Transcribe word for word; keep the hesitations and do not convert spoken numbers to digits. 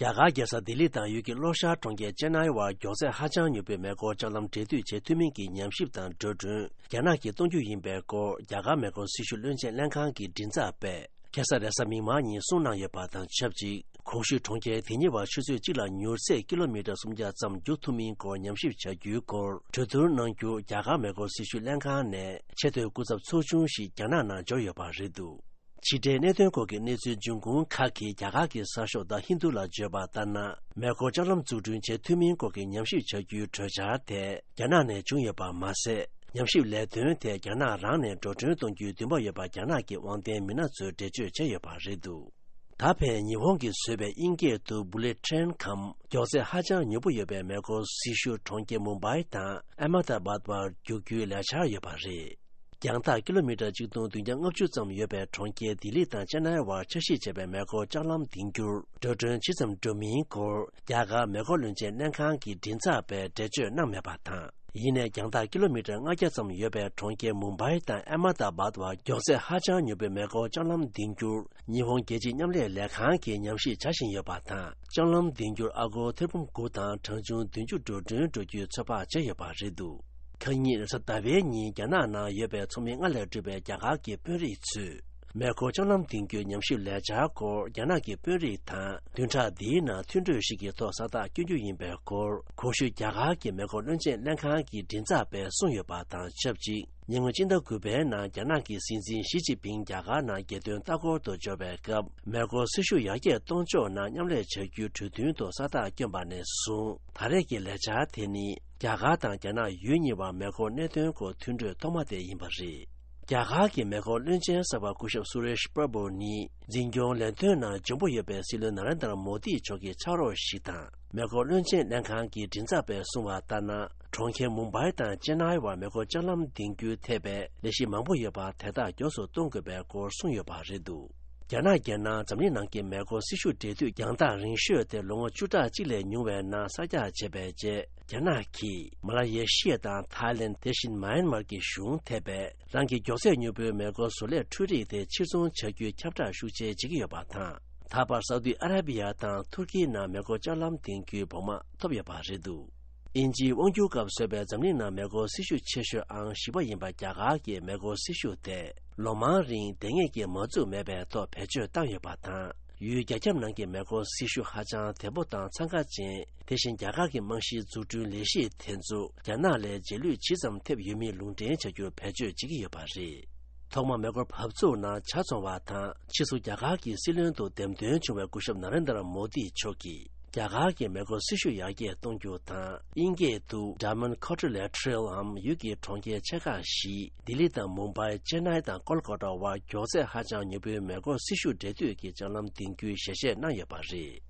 རྒྱ་གར་རྒྱལ་ས་ལྡི་ལི་དང་ཡུལ་གྱི་ལྷོ་ཤར་གྲོང་ཁྱེར་ཅེན་ནའི་བར་མགྱོགས་ཚད་ཧ་ཅང་མྱུར་པོའི་མེ་འཁོར་ལྕགས་ལམ་འབྲེལ་མཐུད་བྱེད་ཐུབ་མིན་གྱི་ཉམས་ཞིབ་དང་འགྲོ་གྲོན་རྒྱ་ནག་གིས་གཏོང་རྒྱུ་ཡིན་པའི་སྐོར། རྒྱ་གར་མེ་འཁོར་སྲི་ཞུ་བློན་ཆེན་ལྷན་ཁང་གི་མགྲིན་ཚབ་པས་ཁ་སང་རེས་གཟའ་མིག་དམར་ཉིན་གསུངས་གནང་ཡོད་པ་དང་ཆབས་ཅིག་གོང་ཞུས་གྲོང་ཁྱེར་དེ་གཉིས་བར་ཆུ་ཚོད་གཅིག་ལ་མྱུར་ཚད་ཀི་ལོ་མི་ཊར་སུམ་བརྒྱ་ཙམ་རྒྱུག་ཐུབ་མིན་སྐོར་ཉམས་ཞིབ་བྱ་རྒྱུའི་སྐོར་གྲོས་བསྡུར་གནང་རྒྱུ། རྒྱ་གར་མེ་འཁོར་སྲི་ཞུ་ལྷན་ཁང་ནས་ཆེས་མཐོའི་སྐུ་ཚབ་ཚོགས་ཆུང་ཞིག་རྒྱ་ནག་ནང་འབྱོར་ཡོད་པ་རེད་འདུག་ཕྱི་འབྲེལ་གནད་དོན་སྐོར་གྱི་གནས་ཚུལ་འབྱུང་ཁུངས་ཁག་གིས་རྒྱ་གར་གྱི་གསར་ཤོག་ད་ཧིན་དུ་ལ་བརྗོད་པ་ལྟར་ན། མེ་འཁོར་ལྕགས་ལམ་འཛུགས་སྐྲུན་བྱེད་ཐུབ་མིན་སྐོར་གྱི་ཉམས་ཞིབ་བྱ་རྒྱུའི་གྲོས་འཆར་དེ་རྒྱ་ནག་ནས་བྱུང་ཡོད་པ་མ་ཟད། ཉམས་ཞིབ་ལས་དོན་དེ་རྒྱ་ནག་རང་ནས་འགྲོ་གྲོན་གཏོང་རྒྱུའི་འདུན་པ་ཡོད་པ་རྒྱ་ནག་གི་དབང་ལྡན་མི་སྣ་ཚོས་འགྲེལ་བརྗོད་བྱས་ཡོད་པ་རེད་འདུག་ད་ཕན་ཉི་ཧོང་གིས་བཟོས་པའི་དབྱིན་སྐད་དུ་Bullet Train་གམ་མགྱོགས་ཚད་ཧ་ཅང་མྱུར་པོ་ཡོད་པའི་མེ་འཁོར་སྲི་ཞུ་གྲོང་ཁྱེར་མུམ་བྷའི་དང་ཨ་མ་ད་བཱད་བར་རྒྱུག་རྒྱུའི་ལས་འཆར་ཡོད་པ་རེད། རྒྱང་ཐག་ཀི་ལོ་མི་ཊར་གཅིག་སྟོང་བདུན་བརྒྱ་ལྔ་བཅུ་ཙམ་ཡོད་པའི་གྲོང་ཁྱེར་ལྡི་ལི་དང་ཅེན་ནའི་བར་འཆར་གཞི་བྱས་པའི་མེ་འཁོར་ལྕགས་ལམ་འདིང་རྒྱུར་འགྲོ་གྲོན་ཇི་ཙམ་འགྲོ་མིན་སྐོར་རྒྱ་གར་མེ་འཁོར་བློན་ཆེན་ལྷན་ཁང་གི་མགྲིན་ཚབ་པས་འགྲེལ་བརྗོད་གནང་མེད་པ་དང་། ཡིན་ནའི་རྒྱང་ཐག་ཀི་ལོ་མི་ཊར་ལྔ་བརྒྱ་ཙམ་ཡོད་པའི་གྲོང་ཁྱེར་མུམ་བྷའི་དང་ཨ་མ་ད་བཱད་བར་མགྱོགས་ཚད་ཧ་ཅང་མྱུར་པོའི་མེ་འཁོར་ལྕགས་ལམ་འདིང་རྒྱུར་ཉི་ཧོང་རྒྱལ་སྤྱིའི་མཉམ་ལས་ལས་ཁང་གིས་ཉམས་ཞིབ་བྱ་བཞིན་ཡོད་པ་དང་། ལྕགས་ལམ་འདིང་རྒྱུར་ཨ་སྒོར་ཐེར་འབུམ་དགུ་དང་གྲངས་ཆུང་བདུན་ཅུ་འགྲོ་གྲོན་འགྲོ་རྒྱུའི་ཚོད་དཔག་བྱས་ཡོད་པ་རེད་འདུག་ཁ་ཉིན་རེས་གཟའ་ཟླ་བའི་ཉིན་རྒྱ་ནག་ནང་ཡོད་པའི་ཚོགས་མི་ལྔ་ལས་གྲུབ་པའི་རྒྱ་གར་གྱི་དཔོན་རིགས་ཚོས། མེ་འཁོར་ལྕགས་ལམ་འདིང་རྒྱུའི་ཉམས་ཞིབ་ལས་འཆར་སྐོར་རྒྱ་ནག་གི་དཔོན་རིགས་དང་བདུན་ཕྲག་འདིའི་ནང་མཐུན་གྲོས་ཤིག་གི་ཐོག་ས་རྟགས་བསྐྱོན་རྒྱུ་ཡིན་པའི་སྐོར་གོང་ཞུས་རྒྱ་གར་གྱི་མེ་འཁོར་བློན་ཆེན་ལྷན་ཁང་གི་མགྲིན་ཚབ་པས་གསུངས་ཡོད་པ་དང་ཆབས་ཅིག་ཉེ་སྔོན་སྤྱི་ཟླ་དགུ་པའི་ནང་རྒྱ་ནག་གི་སྲིད་འཛིན་ཞི་ཅིན་ཕིང་རྒྱ་གར་ནང་རྒྱལ་དོན་ལྟ་སྐོར་དུ་འབྱོར་བའི་སྐབས། མེ་འཁོར་སྲི་ཞུ་ཡར་རྒྱས་གཏོང་ཕྱོགས་ནང་མཉམ་ལས་བྱ་རྒྱུའི་གྲོས་མཐུན་ཐོག་ས་རྟགས་བསྐྱོན་པ་ནས་བཟུང་ད་རེས་ཀྱི་ལས་འཆར་དེ་ནི། རྒྱ་གར་དང་རྒྱ་ནག་ཡུལ་གཉིས་བར་མེ་འཁོར་གནད་དོན་སྐོར་མཐུན་གྲོས་ཐོག་མ་དེ་ཡིན་པ་རེད། རྒྱ་གར་གྱི་མེ་འཁོར་བློན་ཆེན་གསར་པ་སྐུ་ཞབས་སུ་རེཤ་པྲ་བྷུ་ནི་འཛིན་སྐྱོང་ལས་དོན་ནང་འཇོན་པོ་ཡོད་པའི་སྲིད་བློན་ན་རེན་དར་མོ་དི་མཆོག་གི་ཕྱག་རོགས་ཤིག་དང་། མེ་འཁོར་བློན་ཆེན་ལྷན་ཁང་གི་མགྲིན་ཚབ་པས་གསུངས་པ་ལྟར་ན། གྲོང་ཁྱེར་མུམ་བྷའི་དང་ཅེན་ནའི་བར་མེ་འཁོར་ལྕགས་ལམ་འདིང་རྒྱུའི་ཐད་པའི་ལས་གཞི་མང་པོ་ཡོད་པ་དེ་དག་མགྱོགས་སུ་གཏོང་དགོས་པའི་སྐོར་གསུངས་ཡོད་པ་རེད་འདུག་རྒྱ་ནག་གིས་ནང་འཛམ་གླིང་ནང་གི་མེ་འཁོར་སྲི་ཞུ་འབྲེལ་མཐུད་རྒྱང་ཐག་རིང་ཤོས་དེ་ལོ་ངོ་བཅུ་ཕྲག་གཅིག་ལས་ཉུང་བའི་ནང་གསར་རྒྱག་བྱས་པའི་རྗེས། རྒྱ་ནག་གིས་མ་ལ་ཡེ་ཤི་ཡ་དང་ཐའི་ལེན། དེ་བཞིན་མཱ་ཡན་མར་གྱི་གཞུང་ཐེ་བས་རང་གི་མགྱོགས་ཚད་མྱུར་པོའི་མེ་འཁོར་བཟོ་ལས་འཕྲུལ་རིག་དེ་ཕྱིར་ཚོང་བྱ་རྒྱུའི་ཁྱབ་བསྒྲགས་ཤུགས་ཆེ་བྱེད་ཀྱི་ཡོད་པ་དང་། ད་བར་སའུ་ཏི་ཨ་ར་བི་ཡ་དང་ཐུར་ཀི་ནང་མེ་འཁོར་ལྕགས་ལམ་འདིང་རྒྱུའི་བོགས་མ་ཐོབ་ཡོད་པ་རེད་འདུག་དབྱིན་ཇིའི་དབང་སྒྱུར་སྐབས་བཟོས་པའི་འཛམ་གླིང་ནང་མེ་འཁོར་སྲི་ཞུ་ཆེ་ཤོས་ཨང་བཞི་པ་ཡིན་པ་རྒྱ་གར་གྱི་མེ་འཁོར་སྲི་ཞུ་དེ་ལོ་མང་རིང་བདེ་ངེས་ཀྱིས་མ་བཙུགས་མེད་པའི་ཐོག་བེད་སྤྱོད་བཏང་ཡོད་པ་དང་། ཡུལ་རྒྱ་ཁྱབ་ནང་གི་མེ་འཁོར་སྲི་ཞུ་ཧ་ཅང་བདེ་པོ་དང་འཚང་ཁ་ཅན། དེ་བཞིན་རྒྱ་གར་གྱི་རྨང་གཞིའི་འཛུགས་སྐྲུན་ལས་གཞི་དེ་ཚོ་རྒྱ་ནག་ལས་རྗེས་ལུས་ཇི་ཙམ་ཐེབས་ཡོད་མེད་ལུང་འདྲེན་བྱ་རྒྱུར་བེད་སྤྱོད་བྱེད་ཀྱི་ཡོད་པ་རེད། ཐོག་མར་མེ་འཁོར་བབས་ཚུགས་ནང་ཇ་བཙོང་བ་དང་ཕྱིས་སུ་རྒྱ་གར་གྱི་སྲིད་བློན་དུ་འདེམས་ཐོན་བྱུང་བའི་སྐུ་ཞབས་ན་རེན་དར་མོ་དི་མཆོག་གིས་རྒྱ་གར་གྱི་མེ་འཁོར་སྲི་ཞུ་ཡར་རྒྱས་གཏོང་རྒྱུ་དང་། དབྱིན་སྐད་དུ་Diamond Quadrilateral འམ་ཡུལ་གྱི་གྲོང་ཁྱེར་ཆེ་ཁག་བཞི་ལྡི་ལི་དང་མུམ་བྷའི། ཅེན་ནའི་དང་ཀོལ་ཀོ་ཊ་བར་མགྱོགས་ཚད་ཧ་ཅང་མྱུར་པོའི་མེ་འཁོར་སྲི་ཞུ་འབྲེལ་མཐུད་ཀྱི་ལྕགས་ལམ་འདིང་རྒྱུའི་ཞལ་བཞེས་གནང་ཡོད་པ་རེད།